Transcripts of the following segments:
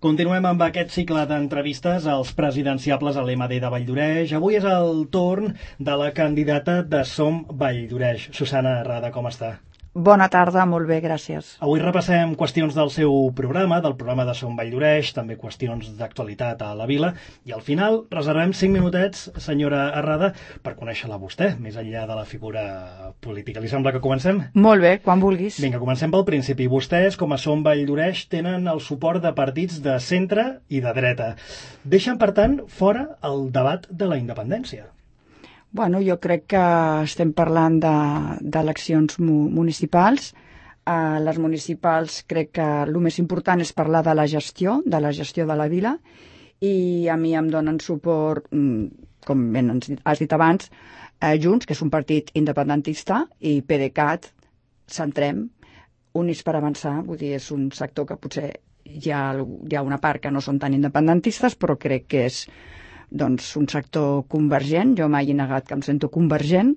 Continuem amb aquest cicle d'entrevistes als presidenciables a l'MD de Valldoreix. Avui és el torn de la candidata de Som Valldoreix. Susana Arrada, com està? Bona tarda, molt bé, gràcies. Avui repassem qüestions del seu programa, del programa de Som Valldoreix, també qüestions d'actualitat a la vila, i al final reservem 5 minutets, senyora Arrada, per conèixer-la vostè, més enllà de la figura política. Li sembla que comencem? Molt bé, quan vulguis. Vinga, comencem pel principi. Vostès, com a Som Valldoreix, tenen el suport de partits de centre i de dreta. Deixen, per tant, fora el debat de la independència. Bueno, jo crec que estem parlant d'eleccions municipals. A les municipals crec que el més important és parlar de la gestió de la vila, i a mi em donen suport, com ben has dit abans, Junts, que és un partit independentista, i PDeCAT, Centrem, Units per Avançar. Vull dir, és un sector que potser hi ha una part que no són tan independentistes, però crec que és un sector convergent. Jo mai he negat que em sento convergent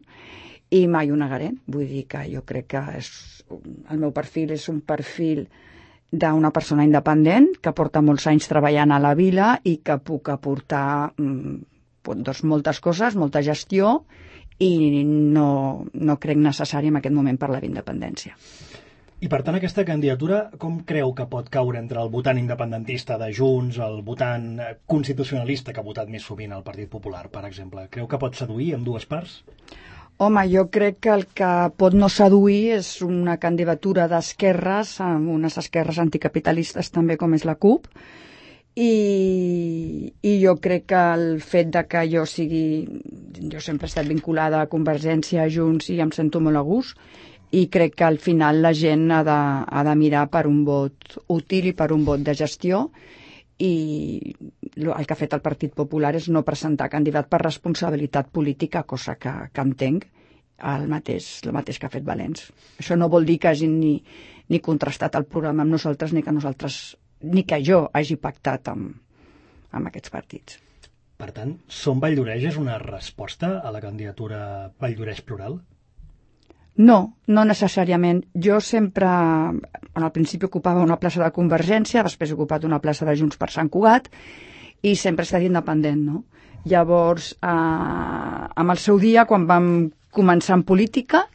i mai ho negaré. Vull dir que jo crec que el meu perfil és un perfil d'una persona independent que porta molts anys treballant a la vila i que puc aportar moltes coses, molta gestió, i no crec necessari en aquest moment parlar d'independència. I per tant, aquesta candidatura, com creu que pot caure entre el votant independentista de Junts, el votant constitucionalista que ha votat més sovint el Partit Popular, per exemple? Creu que pot seduir amb dues parts? Home, jo crec que el que pot no seduir és una candidatura d'esquerres, amb unes esquerres anticapitalistes també, com és la CUP, i jo crec que el fet de que jo sempre he estat vinculada a Convergència, a Junts, i em sento molt a gust, i crec que al final la gent ha de mirar per un vot útil i per un vot de gestió, i el que ha fet el Partit Popular és no presentar candidat per responsabilitat política, cosa que entenc, el mateix que ha fet Valens. Això no vol dir que hagin ni contrastat el programa amb nosaltres, ni que jo hagi pactat amb aquests partits. Per tant, Som Valldoreix és una resposta a la candidatura Valldoreix Plural? No necessàriament. Jo sempre, al principi ocupava una plaça de Convergència, després he ocupat una plaça de Junts per Sant Cugat, i sempre he estat independent, no? Llavors, amb el seu dia, quan vam començar en política,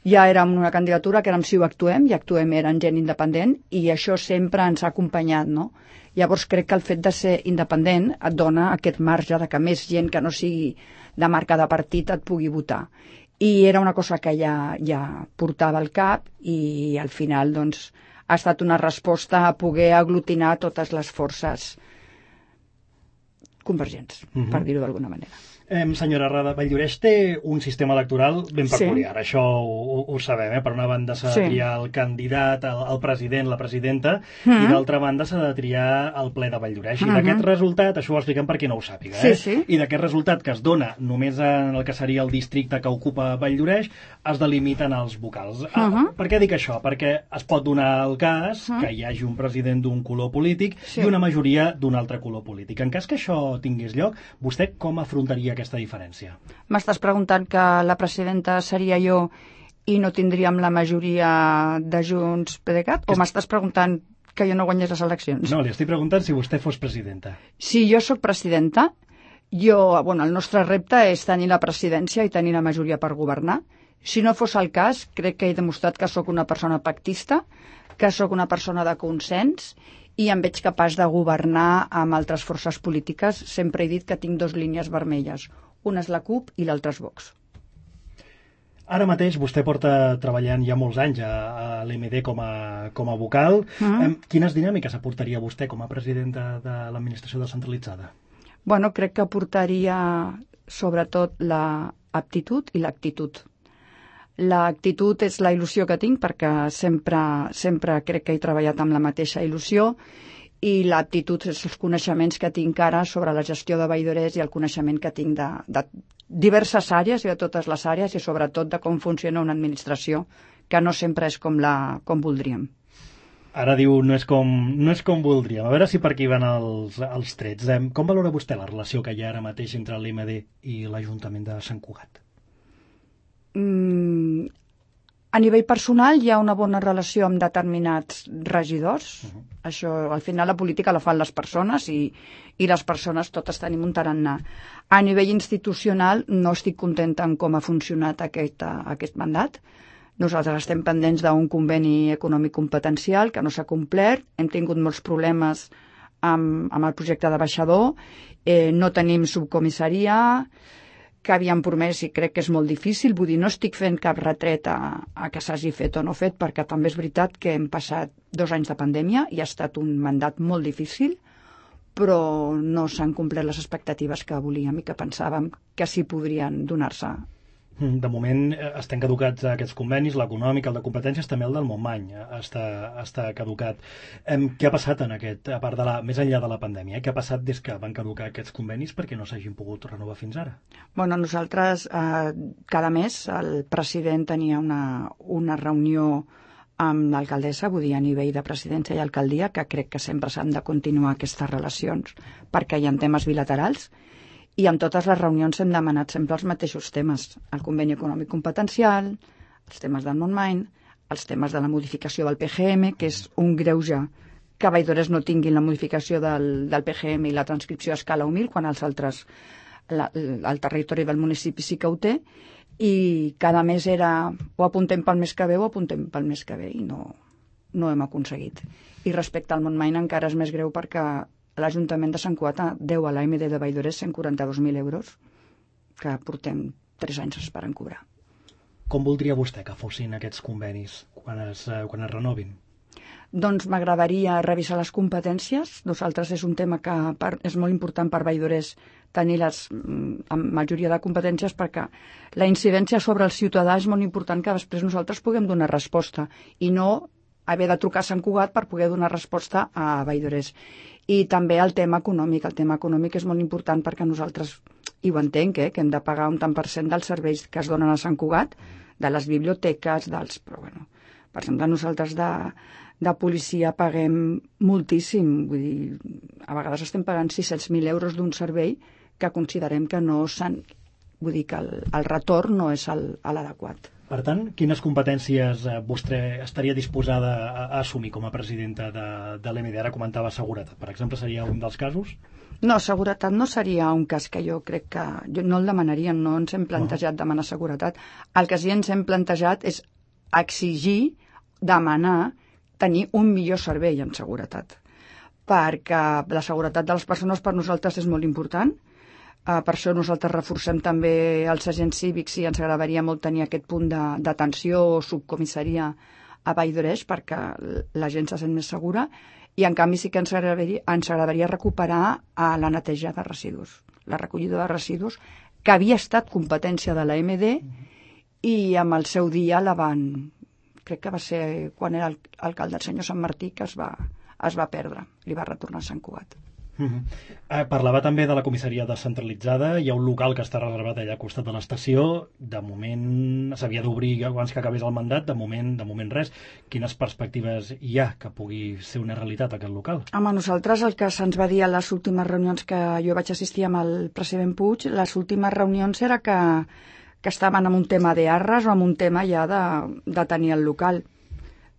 ja érem una candidatura que érem Si ho actuem, i Actuem eren gent independent, i això sempre ens ha acompanyat, no? Llavors crec que el fet de ser independent et dona aquest marge de que més gent que no sigui de marca de partit et pugui votar. I era una cosa que ja portava al cap, i al final ha estat una resposta a poder aglutinar totes les forces convergents, per dir-ho d'alguna manera. Senyora Arrada, Valldoreix té un sistema electoral ben peculiar, això ho sabem, Per una banda s'ha de triar el candidat, el president, la presidenta, i d'altra banda s'ha de triar el ple de Valldoreix. I d'aquest resultat, això ho expliquem per qui no ho sàpiga, i d'aquest resultat que es dona només en el que seria el districte que ocupa Valldoreix, es delimiten els vocals. Per què dic això? Perquè es pot donar el cas que hi hagi un president d'un color polític i una majoria d'un altre color polític. En cas que això tingués lloc, vostè com afrontaria aquesta diferència? M'estàs preguntant que la presidenta seria jo i no tindríem la majoria de Junts PDeCAT? O m'estàs preguntant que jo no guanyés les eleccions? No, li estic preguntant si vostè fos presidenta. Si jo sóc presidenta, el nostre repte és tenir la presidència i tenir la majoria per governar. Si no fos el cas, crec que he demostrat que sóc una persona pactista, que sóc una persona de consens, i em veig capaç de governar amb altres forces polítiques. Sempre he dit que tinc 2 línies vermelles. Una és la CUP i l'altra és Vox. Ara mateix vostè porta treballant ja molts anys a l'MD com a vocal. Quines dinàmiques aportaria vostè com a presidenta de l'administració descentralitzada? Crec que aportaria sobretot l'aptitud i l'actitud. L'actitud és la il·lusió que tinc, perquè sempre crec que he treballat amb la mateixa il·lusió, i l'aptitud és els coneixements que tinc ara sobre la gestió de Valldoreix i el coneixement que tinc de diverses àrees i de totes les àrees, i sobretot de com funciona una administració, que no sempre és com voldríem. Ara diu no és com voldríem. A veure si per aquí van els trets. Com valora vostè la relació que hi ha ara mateix entre l'MD i l'Ajuntament de Sant Cugat? A nivell personal hi ha una bona relació amb determinats regidors. Això, al final, la política la fan les persones i les persones totes tenim un tarannà. A nivell institucional no estic contenta amb com ha funcionat aquest mandat. Nosaltres estem pendents d'un conveni econòmic competencial que no s'ha complert. Hem tingut molts problemes amb el projecte de baixador. No tenim subcomissaria, que havíem promès i crec que és molt difícil. Vull dir, no estic fent cap retret a que s'hagi fet o no fet, perquè també és veritat que hem passat 2 anys de pandèmia i ha estat un mandat molt difícil, però no s'han complert les expectatives que volíem i que pensàvem que sí podrien donar-se. De moment estan caducats aquests convenis, l'econòmic, el de competències, també el del Montmany està caducat. Què ha passat en aquest, a part més enllà de la pandèmia, què ha passat des que van caducar aquests convenis perquè no s'hagin pogut renovar fins ara? Bueno, nosaltres cada mes el president tenia una reunió amb l'alcaldessa, vull dir, a nivell de presidència i alcaldia, que crec que sempre s'han de continuar aquestes relacions perquè hi ha temes bilaterals. I en totes les reunions hem demanat sempre els mateixos temes. El conveni econòmic competencial, els temes del Montmany, els temes de la modificació del PGM, que és un greuge que Baidores no tinguin la modificació del PGM i la transcripció a escala humil, quan els altres, el territori del municipi sí que ho té, i cada mes era o apuntem pel mes que ve o apuntem pel mes que ve, i no hem aconseguit. I respecte al Montmany encara és més greu perquè l'Ajuntament de Sant Cugat deu a l'AMD de Baidores 142.000 euros que portem 3 anys esperant cobrar. Com voldria vostè que fossin aquests convenis quan es renovin? Doncs m'agradaria revisar les competències. Nosaltres és un tema que és molt important per Baidores tenir la majoria de competències perquè la incidència sobre el ciutadà és molt important que després nosaltres puguem donar resposta i no haver de trucar a Sant Cugat per poder donar resposta a Baidores. I també el tema econòmic. El tema econòmic és molt important perquè nosaltres, i ho entenc, que hem de pagar un tant per cent dels serveis que es donen a Sant Cugat, de les biblioteques, però bueno, per exemple, nosaltres de policia paguem moltíssim. Vull dir, a vegades estem pagant 600.000 euros d'un servei que considerem que no s'han... Vull dir que el retorn no és l'adequat. Per tant, quines competències vostè estaria disposada a assumir com a presidenta de l'EMD? Ara comentava seguretat, per exemple, seria un dels casos? No, seguretat no seria un cas que jo crec que... no el demanaríem, no ens hem plantejat demanar seguretat. El que sí ens hem plantejat és exigir, demanar, tenir un millor servei en seguretat. Perquè la seguretat de les persones per nosaltres és molt important. Per això nosaltres reforcem també els agents cívics i ens agradaria molt tenir aquest punt d'atenció o subcomissaria a Baidores perquè la gent se sent més segura i en canvi sí que ens agradaria recuperar la neteja de residus, la recollida de residus que havia estat competència de l'AMD i amb el seu dia crec que va ser quan era alcalde el senyor Sant Martí que es va perdre, li va retornar a Sant Cugat. Parlava també de la comissaria descentralitzada. Hi ha un local que està reservat allà al costat de l'estació. De moment s'havia d'obrir abans que acabés el mandat. De moment res. Quines perspectives hi ha que pugui ser una realitat aquest local? Home, nosaltres el que se'ns va dir a les últimes reunions que jo vaig assistir amb el president Puig, les últimes reunions era que estaven amb un tema d'arres o amb un tema ja de tenir el local.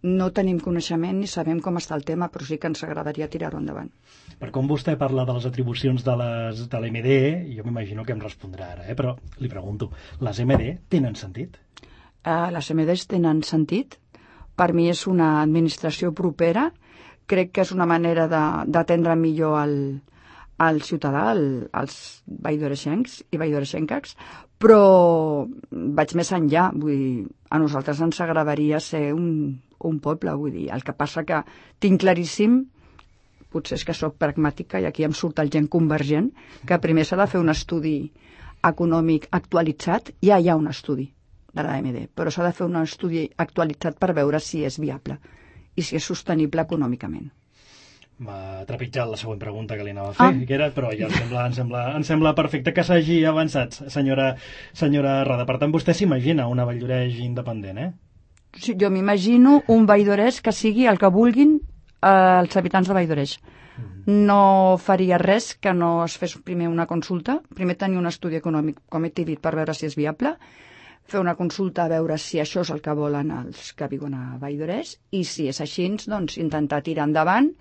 No tenim coneixement ni sabem com està el tema, però sí que ens agradaria tirar-ho endavant. Per com vostè parla de les atribucions de l'EMD, jo m'imagino que em respondrà ara, però li pregunto, les EMD tenen sentit? Les EMDs tenen sentit. Per mi és una administració propera. Crec que és una manera d'atendre millor al ciutadà, als baidoreixencs i baidoreixenques, però vaig més enllà. Vull dir, a nosaltres ens agradaria ser un poble, vull dir. El que passa que tinc claríssim, potser és que sóc pragmàtica i aquí em surt el gent convergent, que primer s'ha de fer un estudi econòmic actualitzat. Ja hi ha un estudi de l'AMD, però s'ha de fer un estudi actualitzat per veure si és viable i si és sostenible econòmicament. M'ha trepitjat la següent pregunta que li anava a fer, però ja em sembla perfecte que s'hagi avançat, senyora Rada. Per tant, vostè s'imagina una Valldoreix independent, eh? Sí, jo m'imagino un Valldoreix que sigui el que vulguin els habitants de Valldoreix. No faria res que no es fes primer una consulta, primer tenir un estudi econòmic, com he dit, per veure si és viable, fer una consulta a veure si això és el que volen els que viuen a Vall d'Oreix i si és així, doncs intentar tirar endavant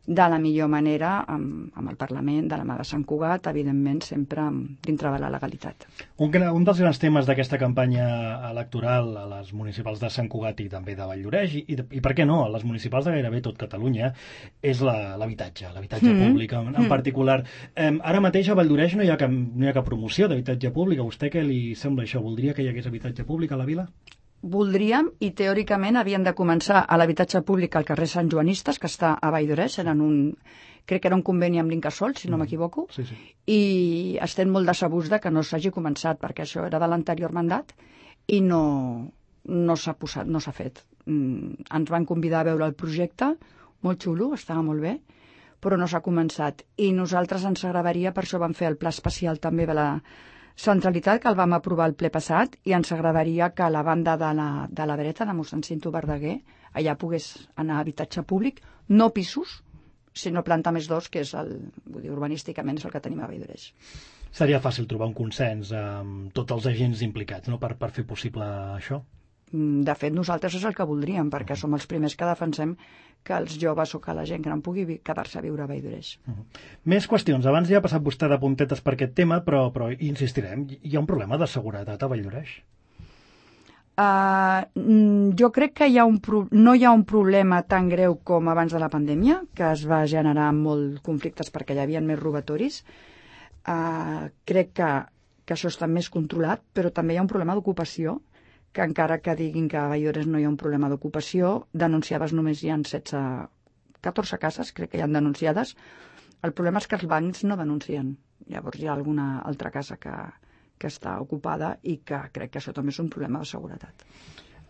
de la millor manera amb el Parlament, de la mà de Sant Cugat, evidentment sempre dintre de la legalitat. Un dels grans temes d'aquesta campanya electoral a les municipals de Sant Cugat i també de Vall d'Oreix, i per què no, a les municipals de gairebé tot Catalunya, és l'habitatge públic en particular. Ara mateix a Vall d'Oreix no hi ha cap promoció d'habitatge públic. A vostè què li sembla això? Voldria que hi hagués habitatge públic a la vila? Voldríem, i teòricament havien de començar a l'habitatge públic al carrer Sant Joanistes, que està a Vall d'Oreix, crec que era un conveni amb l'Incasòl, si no m'equivoco, i estem molt decebuts que no s'hagi començat, perquè això era de l'anterior mandat, i no s'ha fet. Ens van convidar a veure el projecte, molt xulo, estava molt bé, però no s'ha començat. I nosaltres ens agradaria, per això vam fer el pla especial també de la centralitat, que el vam aprovar el ple passat, i ens agradaria que a la banda de la dreta, de mossèn Cinto Verdaguer, allà pogués anar a habitatge públic, no pisos, sinó planta més 2, que és urbanísticament és el que tenim a Vall d'Oreix. Seria fàcil trobar un consens amb tots els agents implicats, no?, per fer possible això? De fet, nosaltres és el que voldríem, perquè som els primers que defensem que els joves o que la gent gran pugui quedar-se a viure a Vall d'Oreix. Més qüestions. Abans ja ha passat vostè de puntetes per aquest tema, però insistirem. Hi ha un problema de seguretat a Vall d'Oreix? Jo crec que no hi ha un problema tan greu com abans de la pandèmia, que es va generar molts conflictes perquè hi havia més robatoris. Crec que això està més controlat, però també hi ha un problema d'ocupació, que encara que diguin que a Vall d'Oreix no hi ha un problema d'ocupació, denunciades només hi ha 14 cases, crec que hi ha denunciades. El problema és que els bancs no denuncien. Llavors hi ha alguna altra casa que està ocupada i que crec que això també és un problema de seguretat.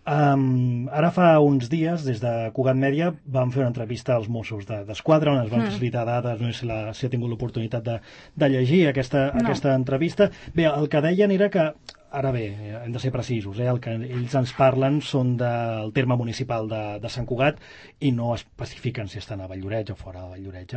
Ara fa uns dies, des de Cugat Mèdia, vam fer una entrevista als Mossos d'Esquadra, on es van facilitar dades, no sé si ha tingut l'oportunitat de llegir aquesta entrevista. Bé, el que deien era que, ara bé, hem de ser precisos, el que ells ens parlen són del terme municipal de Sant Cugat i no especifiquen si estan a Vall d'Oreix o fora de Vall d'Oreix.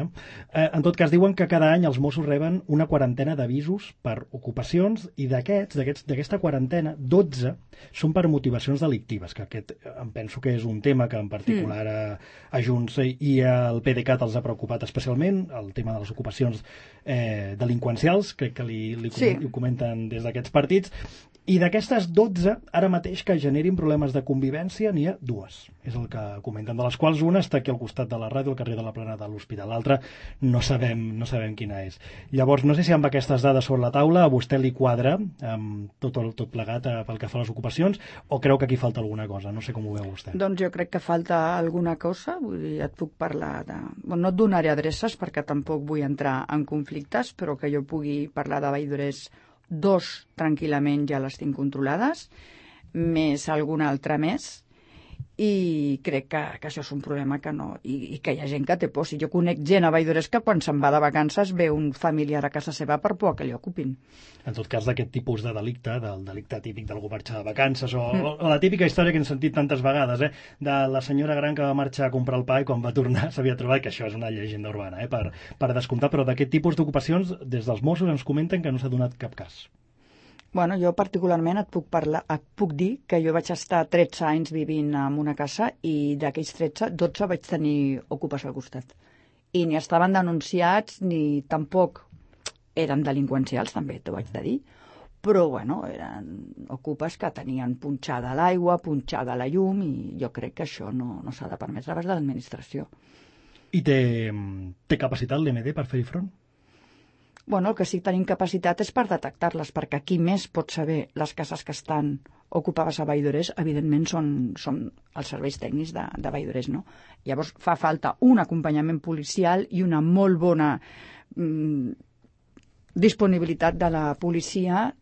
En tot cas, diuen que cada any els Mossos reben una quarantena d'avisos per ocupacions i d'aquesta quarantena, 12 són per motivacions delictives, que aquest em penso que és un tema que en particular a Junts i al PDeCAT els ha preocupat especialment, el tema de les ocupacions delinqüencials, crec que li comenten des d'aquests partits. I d'aquestes 12, ara mateix que generin problemes de convivència, n'hi ha 2. És el que comenten, de les quals una està aquí al costat de la ràdio, al carrer de la Plana de l'Hospital. L'altra no sabem quina és. Llavors, no sé si amb aquestes dades sobre la taula a vostè li quadra tot plegat pel que fa a les ocupacions, o creu que aquí falta alguna cosa? No sé com ho veu vostè. Doncs jo crec que falta alguna cosa. Vull dir, et puc parlar de... Bueno, no et donaré adreces perquè tampoc vull entrar en conflictes, però que jo pugui parlar de Vall d'Oreix 2 tranquil·lament ja les tinc controlades, més alguna altra més, i crec que això és un problema que no... I que hi ha gent que té por. Si jo conec gent a Vall d'Oreix que quan se'n va de vacances ve un familiar a casa seva per por que li ocupin. En tot cas, d'aquest tipus de delicte, del delicte típic d'algú marxar de vacances, o la típica història que hem sentit tantes vegades, de la senyora gran que va marxar a comprar el pa i quan va tornar s'havia trobat, que això és una llegenda urbana, per descomptar, però d'aquest tipus d'ocupacions, des dels Mossos ens comenten que no s'ha donat cap cas. Bueno, jo particularment et puc dir que jo vaig estar 13 anys vivint en una casa i d'aquells 13, 12 vaig tenir ocupes al costat. I ni estaven denunciats ni tampoc eren delinqüencials, també t'ho vaig de dir, però bueno, eren ocupes que tenien punxada l'aigua, punxada la llum, i jo crec que això no s'ha de permetre a de l'administració. I té capacitat l'EMD per fer-hi front? Bueno, el que sí que tenim capacitat és per detectar-les, perquè qui més pot saber les cases que estan ocupades a Vall d'Oreix, evidentment, són els serveis tècnics de Vall d'Oreix, no? Llavors fa falta un acompanyament policial i una molt bona disponibilitat de la policia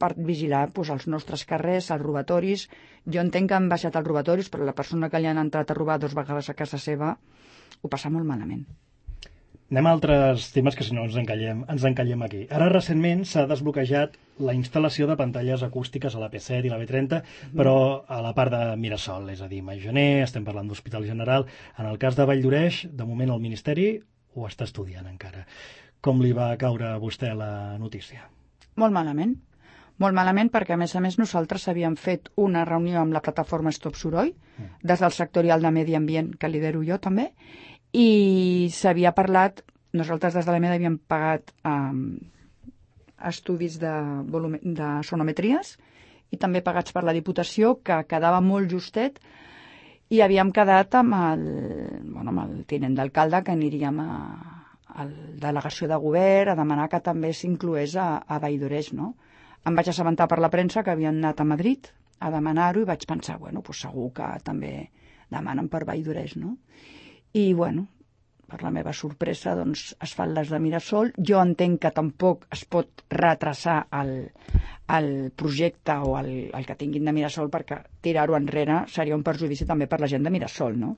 per vigilar els nostres carrers, els robatoris. Jo entenc que han baixat els robatoris, però la persona que li han entrat a robar 2 vegades a casa seva ho passa molt malament. Anem a altres temes que si no ens encallem aquí. Ara recentment s'ha desbloquejat la instal·lació de pantalles acústiques a la P7 i la B30, però a la part de Mirasol, és a dir, Majoner, estem parlant d'Hospital General. En el cas de Vall d'Oreix, de moment el Ministeri ho està estudiant encara. Com li va caure a vostè la notícia? Molt malament. Molt malament perquè, a més, nosaltres havíem fet una reunió amb la plataforma Stop Soroll, des del sectorial de Medi Ambient, que lidero jo també, i s'havia parlat, nosaltres des de l'EMED havíem pagat estudis de sonometries i també pagats per la Diputació, que quedava molt justet, i havíem quedat amb el tinent d'alcalde que aniríem a la delegació de govern a demanar que també s'incloés a Vall-d'Oreix, no? Em vaig assabentar per la premsa que havien anat a Madrid a demanar-ho i vaig pensar, segur que també demanen per Vall-d'Oreix, no? I, per la meva sorpresa, doncs, es fan les de Mirasol. Jo entenc que tampoc es pot retrasar el projecte o el que tinguin de Mirasol, perquè tirar-ho enrere seria un perjudici també per la gent de Mirasol, no?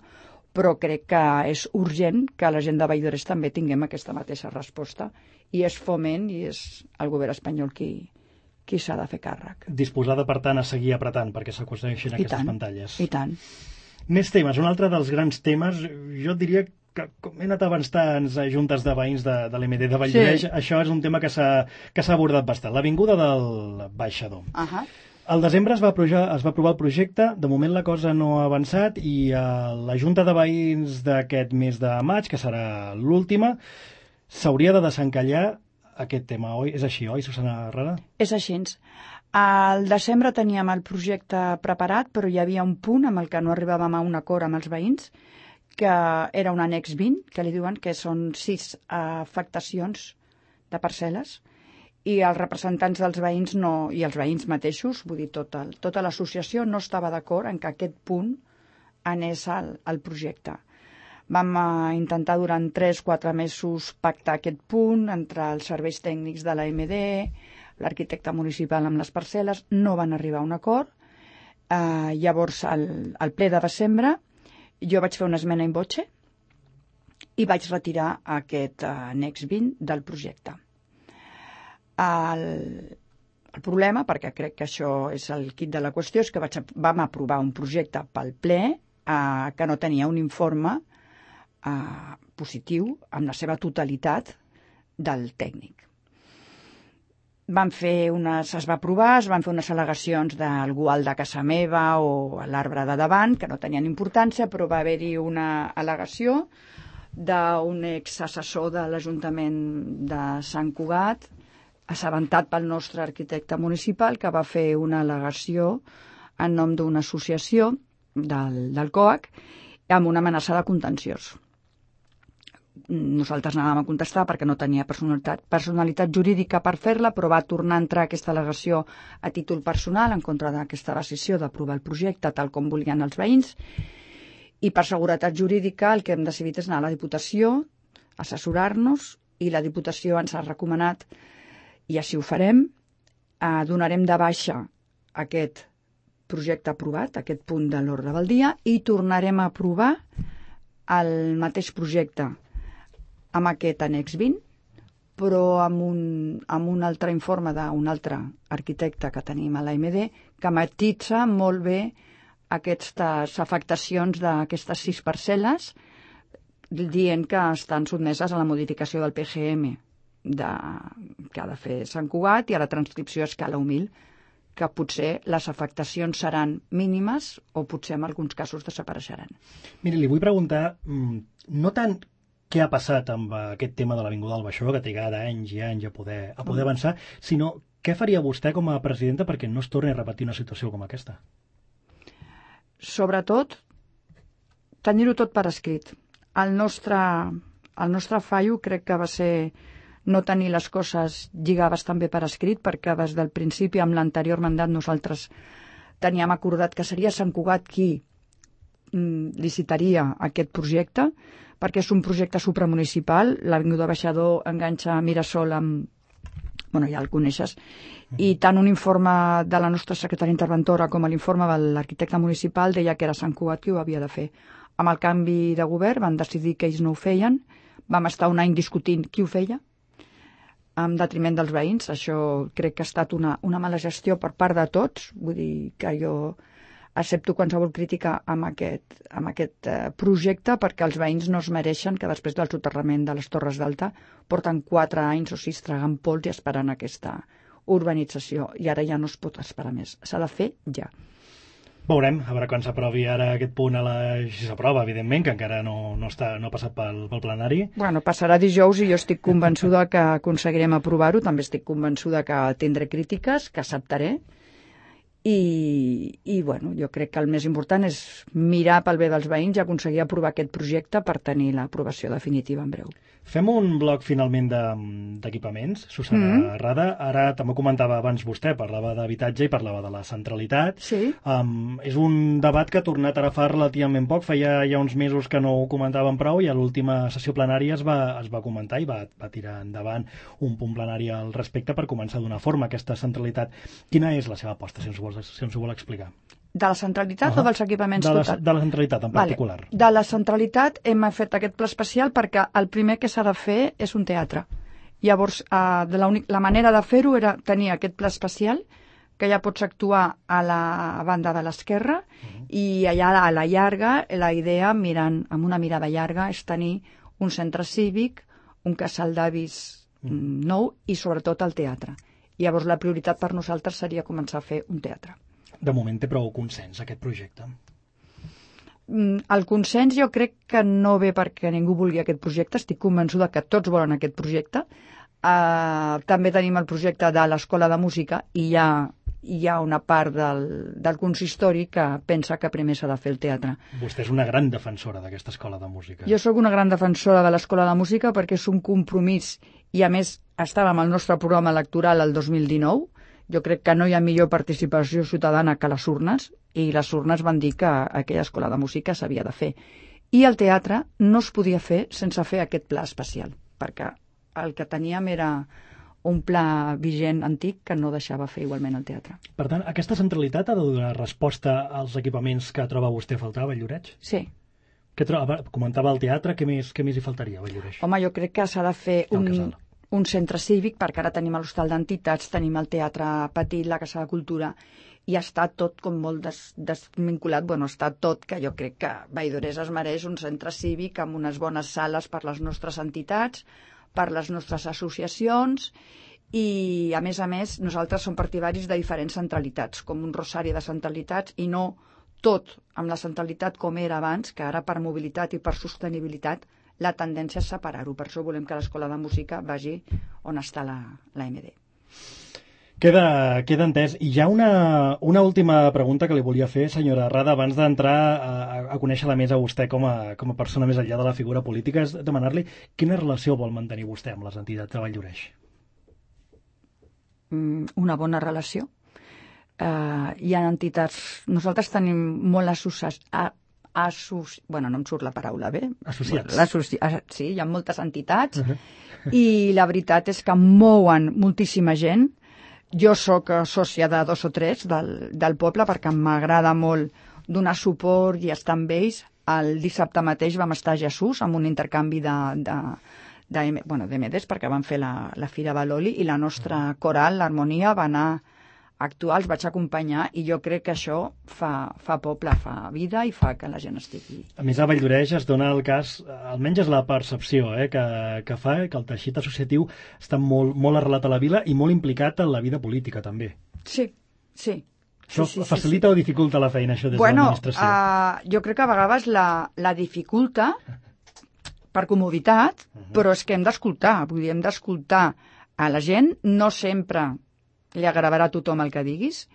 Però crec que és urgent que la gent de Vall-d'Oreix també tinguem aquesta mateixa resposta, i és Foment i és el govern espanyol qui s'ha de fer càrrec. Disposada, per tant, a seguir apretant perquè s'aconsegueixin aquestes pantalles. I tant. Més temes. Un altre dels grans temes, jo diria que com he anat abans a juntes de veïns de l'MD de Vall-d'Oreix, això és un tema que s'ha abordat bastant. L'avinguda del Baixador. Al desembre es va aprovar el projecte, de moment la cosa no ha avançat, i la Junta de Veïns d'aquest mes de maig, que serà l'última, s'hauria de desencallar aquest tema, oi? És així, oi, Susana Herrera? És així. Al desembre teníem el projecte preparat, però hi havia un punt amb el que no arribàvem a un acord amb els veïns, que era un annex 20, que li diuen que són 6 afectacions de parcel·les, i els representants dels veïns i els veïns mateixos, vull dir, tota l'associació no estava d'acord en que aquest punt anés al projecte. Vam intentar durant 3-4 mesos pactar aquest punt entre els serveis tècnics de l'AMD, l'arquitecte municipal amb les parcel·les, no van arribar a un acord. Llavors, al ple de desembre, jo vaig fer una esmena in voce i vaig retirar aquest annex 20 del projecte. El problema, perquè crec que això és el quid de la qüestió, és que vam aprovar un projecte pel ple que no tenia un informe positiu amb la seva totalitat del tècnic. Es va aprovar, es van fer unes al·legacions d'algú al de casa meva o a l'arbre de davant, que no tenien importància, però va haver-hi una al·legació d'un exassessor de l'Ajuntament de Sant Cugat, assabentat pel nostre arquitecte municipal, que va fer una al·legació en nom d'una associació del COAC amb una amenaça de contenciós. Nosaltres anàvem a contestar perquè no tenia personalitat jurídica per fer-la, però va tornar a entrar aquesta al·legació a títol personal en contra d'aquesta decisió d'aprovar el projecte tal com volien els veïns, i per seguretat jurídica el que hem decidit és anar a la Diputació, assessorar-nos, i la Diputació ens ha recomanat, i així ho farem, donarem de baixa aquest projecte aprovat, aquest punt de l'ordre del dia, i tornarem a aprovar el mateix projecte amb aquest annex 20, però amb un altre informe d'un altre arquitecte que tenim a l'AMD, que matitza molt bé aquestes afectacions d'aquestes 6 parcel·les, dient que estan sotmeses a la modificació del PGM que ha de fer Sant Cugat i a la transcripció a escala humil, que potser les afectacions seran mínimes o potser en alguns casos desapareixeran. Miri, li vull preguntar, no tant què ha passat amb aquest tema de l'Avinguda del Baixador, que trigarà anys i anys a poder avançar, sinó què faria vostè com a presidenta perquè no es torni a repetir una situació com aquesta? Sobretot, tenir-ho tot per escrit. El nostre fallo crec que va ser no tenir les coses lligades també per escrit, perquè des del principi, amb l'anterior mandat, nosaltres teníem acordat que seria Sant Cugat qui licitaria aquest projecte, perquè és un projecte supramunicipal. L'Avinguda Baixador enganxa Mirasol amb... ja el coneixes. I tant un informe de la nostra secretària interventora com l'informe de l'arquitecte municipal deia que era Sant Cugat qui ho havia de fer. Amb el canvi de govern van decidir que ells no ho feien. Vam estar un any discutint qui ho feia, en detriment dels veïns. Això crec que ha estat una mala gestió per part de tots. Vull dir que jo accepto qualsevol crítica amb aquest projecte, perquè els veïns no es mereixen que després del soterrament de les Torres d'Alta porten 4 anys o 6 tragant pols i esperant aquesta urbanització, i ara ja no es pot esperar més. S'ha de fer ja. Veurem, a veure quan s'aprovi ara aquest punt, si s'aprova, evidentment, que encara no ha passat pel plenari. Bueno, passarà dijous i jo estic convençuda que aconseguirem aprovar-ho. També estic convençuda que tindré crítiques, que acceptaré. I bueno, jo crec que el més important és mirar pel bé dels veïns i aconseguir aprovar aquest projecte per tenir l'aprovació definitiva en breu. Fem un bloc finalment d'equipaments, Susana Rada. Ara també comentava abans vostè, parlava d'habitatge i parlava de la centralitat. Sí. És un debat que ha tornat ara fa relativament poc, feia ja uns mesos que no ho comentàvem prou i a l'última sessió plenària es va comentar i va tirar endavant un punt plenari al respecte per començar a donar forma a aquesta centralitat. Quina és la seva aposta, si ens ho vol explicar? De la centralitat o dels equipaments totals? De la centralitat, en particular. Vale. De la centralitat hem fet aquest pla especial perquè el primer que s'ha de fer és un teatre. Llavors, la manera de fer-ho era tenir aquest pla especial, que ja pots actuar a la banda de l'esquerra, i allà a la llarga, la idea, mirant amb una mirada llarga, és tenir un centre cívic, un casal d'avis nou i sobretot el teatre. Llavors, la prioritat per nosaltres seria començar a fer un teatre. De moment té prou consens, aquest projecte? El consens jo crec que no ve perquè ningú vulgui aquest projecte. Estic convençuda que tots volen aquest projecte. També tenim el projecte de l'Escola de Música i hi ha una part del consistori que pensa que primer s'ha de fer el teatre. Vostè és una gran defensora d'aquesta escola de música. Jo sóc una gran defensora de l'Escola de Música perquè és un compromís i, a més, estàvem al nostre programa electoral el 2019. Jo crec que no hi ha millor participació ciutadana que les urnes, i les urnes van dir que aquella escola de música s'havia de fer. I el teatre no es podia fer sense fer aquest pla especial, perquè el que teníem era un pla vigent antic que no deixava fer igualment el teatre. Per tant, aquesta centralitat ha de donar resposta als equipaments que troba vostè a faltar a Valldoreix? Sí. Comentava el teatre, què més hi faltaria a Valldoreix? Home, jo crec que s'ha de fer un centre cívic, perquè ara tenim l'hostal d'entitats, tenim el teatre petit, la Casa de Cultura, i està tot com molt desvinculat. Bueno, està tot, que jo crec que Valldoreix es mereix un centre cívic amb unes bones sales per les nostres entitats, per les nostres associacions, i a més, nosaltres som partidaris de diferents centralitats, com un rosari de centralitats, i no tot amb la centralitat com era abans, que ara per mobilitat i per sostenibilitat la tendència és separar-ho. Per això volem que l'Escola de Música vagi on està la MD. Queda entès. I hi ha una última pregunta que li volia fer, senyora Rada, abans d'entrar a conèixer-la més a vostè com a persona més enllà de la figura política, és demanar-li quina relació vol mantenir vostè amb les entitats de Valldoreix. Una bona relació. Hi ha entitats... Nosaltres tenim molt bueno, no em surt la paraula bé. Associats. Sí, hi ha moltes entitats i la veritat és que mouen moltíssima gent. Jo sóc sòcia de 2 o 3 del poble perquè m'agrada molt donar suport i estar amb ells. El dissabte mateix vam estar a Jesús amb un intercanvi d'MDs perquè van fer la Fira de l'Oli i la nostra coral, l'Harmonia, va anar actuar, els vaig acompanyar, i jo crec que això fa poble, fa vida i fa que la gent estigui... A més, a Valldoreix es dona el cas, almenys és la percepció que fa que el teixit associatiu està molt arrelat a la vila i molt implicat en la vida política, també. Sí. Això facilita o dificulta la feina, això, des de l'administració? Jo crec que a vegades la dificulta per comoditat, però és que hem d'escoltar, hem d'escoltar a la gent, no sempre li agradarà a tothom el que diguis,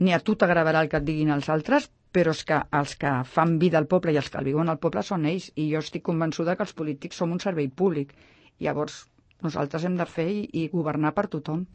ni a tu t'agradarà el que et diguin els altres, però és que els que fan vida al poble i els que el viuen al poble són ells, i jo estic convençuda que els polítics som un servei públic. Llavors, nosaltres hem de fer i governar per tothom.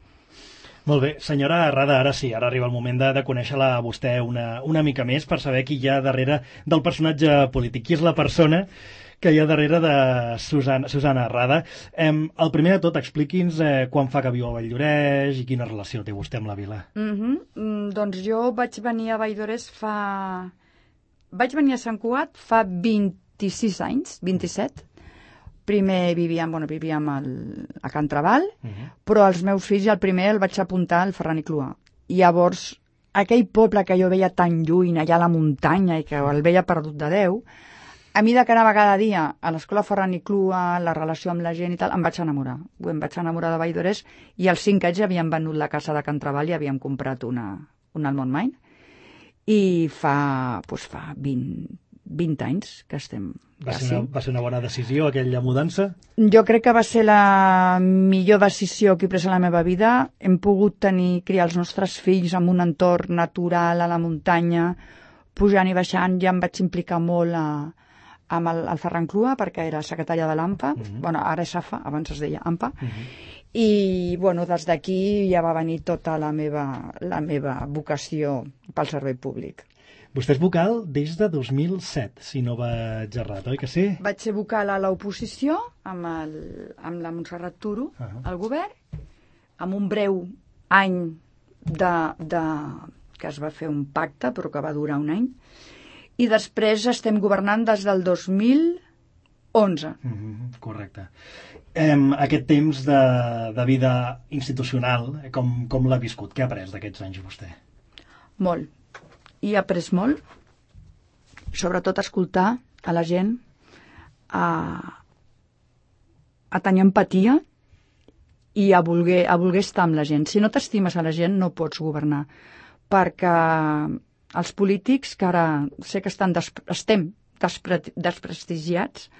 Molt bé. Senyora Rada, ara sí, ara arriba el moment de conèixer-la a vostè una mica més per saber qui hi ha darrere del personatge polític. Qui és la persona que hi ha darrere de Susana Rada? El primer de tot, expliqui'ns quan fa que viu a Valldoreix i quina relació té vostè amb la vila. Doncs jo vaig venir a Valldoreix Vaig venir a Sant Cugat fa 26 anys, 27. Primer vivíem a Can Trabal, però els meus fills, el primer el vaig apuntar al Ferran i Cluà. I llavors, aquell poble que jo veia tan lluny, allà a la muntanya, i que el veia perdut de Déu, a mi de que anava cada dia a l'escola Ferran i Clua, la relació amb la gent i tal, em vaig enamorar. Em vaig enamorar de Valldoreix i als 5 anys havíem venut la casa de Can Treball i havíem comprat una al Montmany. I fa 20 anys que estem quasi. Va ser una bona decisió, aquella mudança? Jo crec que va ser la millor decisió que he pres a la meva vida. Hem pogut criar els nostres fills en un entorn natural, a la muntanya, pujant i baixant. Ja em vaig implicar molt amb el Ferran Clua, perquè era secretària de l'AMPA. Bueno, ara és AFA, abans es deia AMPA. I des d'aquí ja va venir tota la meva vocació pel servei públic. Vostè és vocal des de 2007, si no vaig errat, oi que sí? Vaig ser vocal a l'oposició amb la Montserrat Turo, al govern, amb un breu any que es va fer un pacte, però que va durar un any, i després estem governant des del 2011. Correcte. Aquest temps de vida institucional, com l'ha viscut? Què ha après d'aquests anys vostè? Molt. I he après molt, sobretot a escoltar a la gent, a tenir empatia i a voler estar amb la gent. Si no t'estimes a la gent no pots governar, perquè els polítics, que ara sé que estem desprestigiats,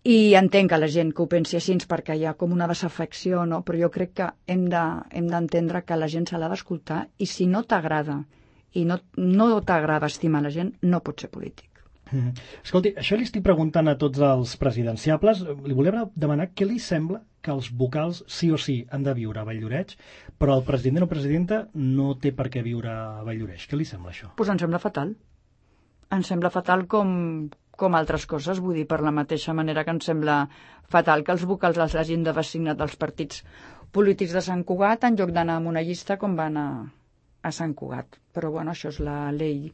i entenc que la gent que ho pensi així perquè hi ha com una desafecció, no? Però jo crec que hem d'entendre que la gent se l'ha d'escoltar i si no t'agrada i no t'agrada estimar la gent, no pots ser polític. Escolti, això li estic preguntant a tots els presidenciables. Li volia demanar què li sembla que els vocals sí o sí han de viure a Valldoreix, però el president o presidenta no té per què viure a Valldoreix. Què li sembla això? Doncs em sembla fatal. Em sembla fatal com altres coses. Vull dir, per la mateixa manera que em sembla fatal que els vocals els hagin de designar dels partits polítics de Sant Cugat en lloc d'anar amb una llista com va anar a Sant Cugat. Però bueno, això és la llei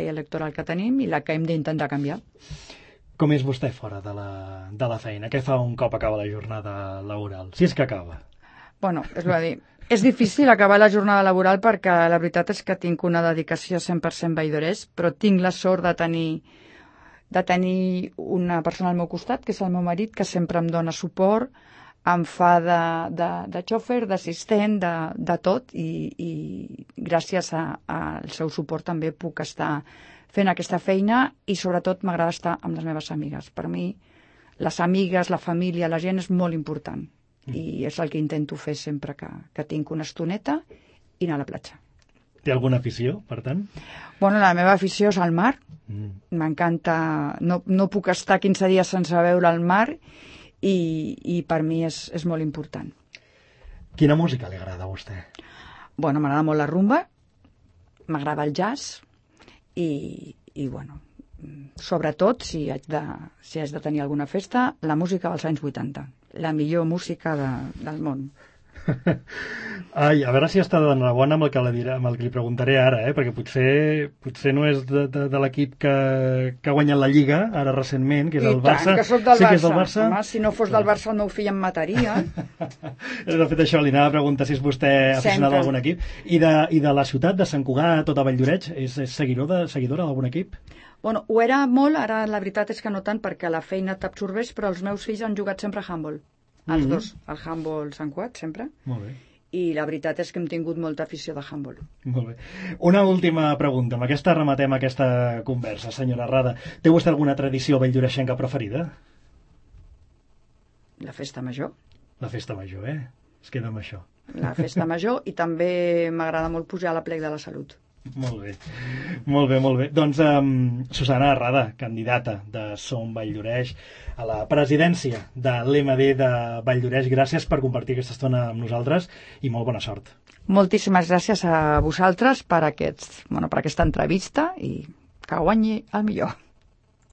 electoral que tenim i la que hem d'intentar canviar. Com és vostè fora de la feina? Què fa un cop acaba la jornada laboral? Si és que acaba. Bueno, és difícil acabar la jornada laboral perquè la veritat és que tinc una dedicació 100% Valldoreix, però tinc la sort de tenir una persona al meu costat, que és el meu marit, que sempre em dona suport, em fa de xòfer, d'assistent, de tot, i gràcies al seu suport també puc estar fent aquesta feina i sobretot m'agrada estar amb les meves amigues. Per mi les amigues, la família, la gent és molt important i és el que intento fer sempre que tinc una estoneta i anar a la platja. Té alguna afició, per tant? Bueno, la meva afició és al mar. M'encanta, no puc estar 15 dies sense veure el mar i per mi és molt important. Quina música li agrada a vostè? Bueno, m'agrada molt la rumba, m'agrada el jazz i bueno, sobretot, si haig de tenir alguna festa, la música dels anys 80, la millor música del món. Ai, a veure si està d'enhorabona amb el que li preguntaré ara, perquè potser no és de l'equip que ha guanyat la Lliga ara recentment, que és el Barça. I tant, que soc del Barça. Que és del Barça. Home, si no fos del Barça el meu fill em mataria. De fet, això li anava a preguntar si és vostè aficionat a algun equip. I de la ciutat de Sant Cugat, tota Valldoreix, és seguidora d'algun equip? Bueno, ho era molt, ara la veritat és que no tant perquè la feina t'absorbeix, però els meus fills han jugat sempre a handball. Els dos, el handball Sant Cugat, sempre. Molt bé. I la veritat és que hem tingut molta afició de handball. Molt bé. Una última pregunta. Amb aquesta rematem aquesta conversa, senyora Rada. Té vostè alguna tradició valldoreixenca preferida? La festa major. La festa major, Es queda amb això. La festa major i també m'agrada molt pujar a la plec de la Salut. Molt bé, molt bé, molt bé. Doncs Susana Rada, candidata de Som Valldoreix a la presidència de l'MD de Valldoreix. Gràcies per compartir aquesta estona amb nosaltres i molt bona sort. Moltíssimes gràcies a vosaltres per aquesta entrevista i que guanyi el millor.